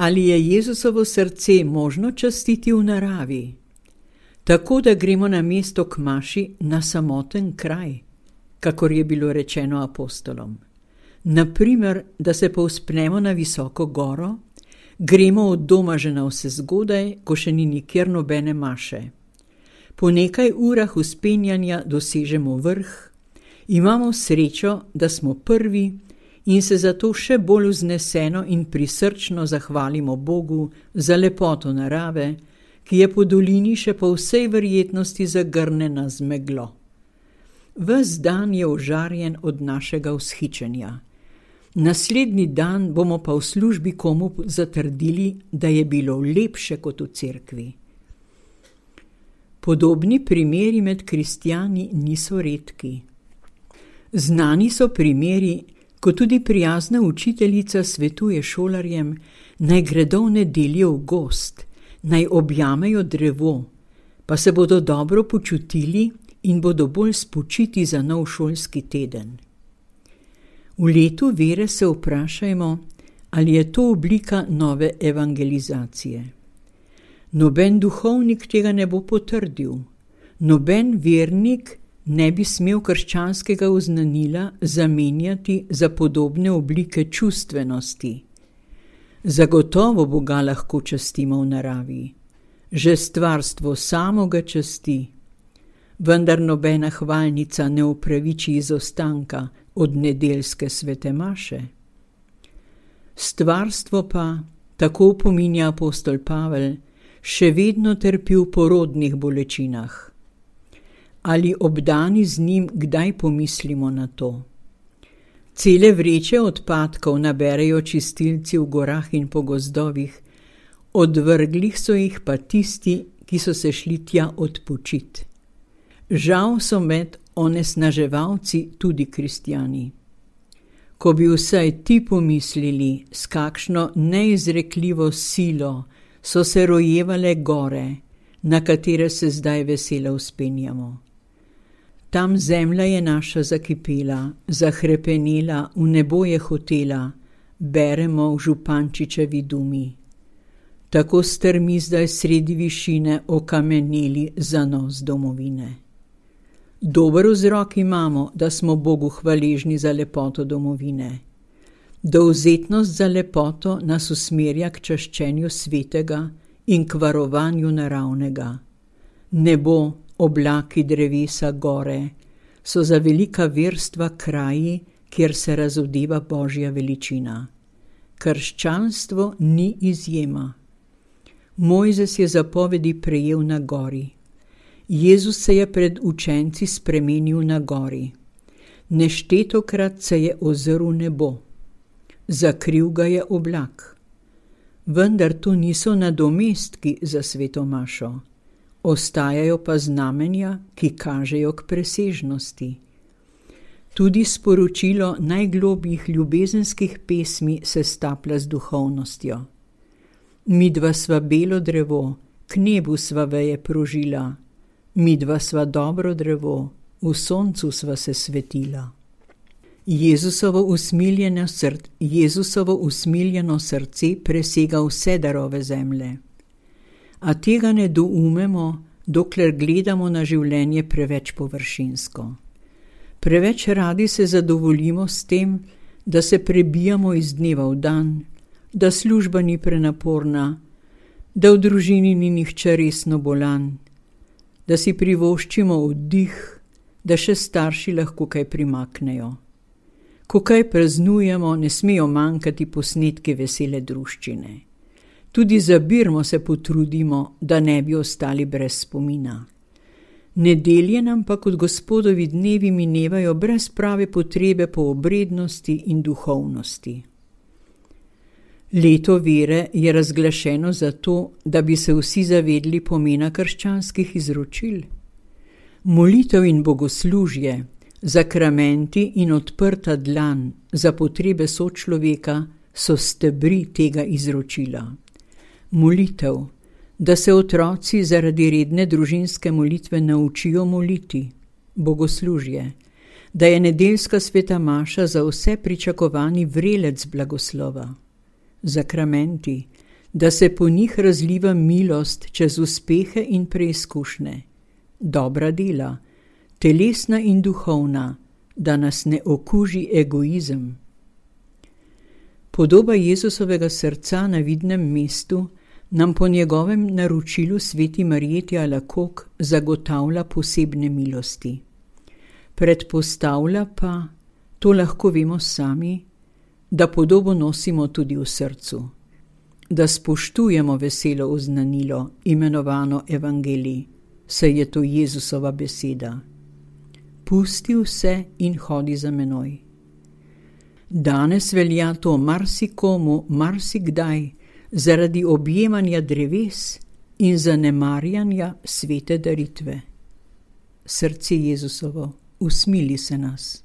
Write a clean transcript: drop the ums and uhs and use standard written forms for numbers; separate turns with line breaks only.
Ali je Jezusovo srce možno častiti v naravi? Tako, da gremo na mesto k maši na samoten kraj, kakor je bilo rečeno apostolom. Naprimer, da se povzpnemo na visoko goro, gremo od doma že navsezgodaj, ko še ni nikjer nobene maše. Po nekaj urah vzpenjanja dosežemo vrh, imamo srečo, da smo prvi in se zato še bolj vzneseno in prisrčno zahvalimo Bogu za lepoto narave, ki je po dolini še po vsej verjetnosti zagrnjena z meglo. Ves dan je ožarjen od našega vzhičenja. Naslednji dan bomo pa v službi komu zatrdili, da je bilo lepše kot v cerkvi. Podobni primeri med kristjani niso redki. Znani so primeri, ko tudi prijazna učiteljica svetuje šolarjem, naj gredo v nedeljo v gozd, naj objamejo drevo, pa se bodo dobro počutili in bodo bolj spočiti za nov šolski teden. V letu vere se vprašajmo, ali je to oblika nove evangelizacije. Noben duhovnik tega ne bo potrdil, noben vernik ne bi smel krščanskega oznanila zamenjati za podobne oblike čustvenosti. Zagotovo Boga lahko častimo v naravi. Že stvarstvo samo ga časti, vendar nobena hvalnica ne upraviči izostanka od nedeljske svete maše. Stvarstvo pa, tako opominja apostol Pavel, še vedno trpi v porodnih bolečinah. Ali obdani z njim kdaj pomislimo na to? Cele vreče odpadkov naberejo čistilci v gorah in po gozdovih, odvrglih so jih pa tisti, ki so se šli tja odpočit. Žal so med onesnaževalci tudi kristjani. Ko bi vsaj ti pomislili, s kakšno neizrekljivo silo so se rojevale gore, na katere se zdaj veselo vzpenjamo. Tam zemlja je naša zakipela, zahrepenela, v nebo je hotela, beremo v Župančičevi dumi. Tako strmi zdaj sredi višine okameneli zanos domovine. Dober vzrok imamo, da smo Bogu hvaležni za lepoto domovine. Dovzetnost za lepoto nas usmerja k čaščenju svetega in k varovanju naravnega. Nebo, oblaki, drevesa, gore so za velika verstva kraji, kjer se razodeva Božja veličina. Krščanstvo ni izjema. Mojzes je zapovedi prejel na gori. Jezus se je pred učenci spremenil na gori. Neštetokrat se je ozrl nebo. Zakril ga je oblak. Vendar to niso nadomestki za sveto mašo. Ostajajo pa znamenja, ki kažejo k presežnosti. Tudi sporočilo najglobjih ljubezenskih pesmi se staplja z duhovnostjo. Midva sva belo drevo, k nebu sva veje prožila. Midva sva dobro drevo, v soncu sva se svetila. Jezusovo usmiljeno srce presega vse darove zemlje. A tega ne doumemo, dokler gledamo na življenje preveč površinsko. Preveč radi se zadovoljimo s tem, da se prebijamo iz dneva v dan, da služba ni prenaporna, da v družini ni nihče resno bolan, da si privoščimo oddih, da še starši lahko kaj primaknejo. Ko kaj praznujemo, ne smejo manjkati posnetki vesele druščine. Tudi za birmo se potrudimo, da ne bi ostali brez spomina. Nedelje nam pa kot Gospodovi dnevi minevajo brez prave potrebe po obrednosti in duhovnosti. Leto vere je razglašeno zato, da bi se vsi zavedli pomena krščanskih izročil. Molitev in bogoslužje, zakramenti in odprta dlan za potrebe sočloveka so stebri tega izročila. Molitev, da se otroci zaradi redne družinske molitve naučijo moliti, bogoslužje, da je nedeljska sveta maša za vse pričakovani vrelec blagoslova, zakramenti, da se po njih razliva milost čez uspehe in preizkušnje, dobra dela, telesna in duhovna, da nas ne okuži egoizem. Podoba Jezusovega srca na vidnem mestu nam po njegovem naročilu sveti Marjeti Alakok zagotavlja posebne milosti. Predpostavlja pa, to lahko vemo sami, da podobo nosimo tudi v srcu, da spoštujemo veselo oznanilo, imenovano evangelij, saj je to Jezusova beseda. Pusti vse in hodi za menoj. Danes velja to marsikomu, marsikdaj, zaradi objemanja dreves in zanemarjanja svete daritve. Srce Jezusovo, usmili se nas.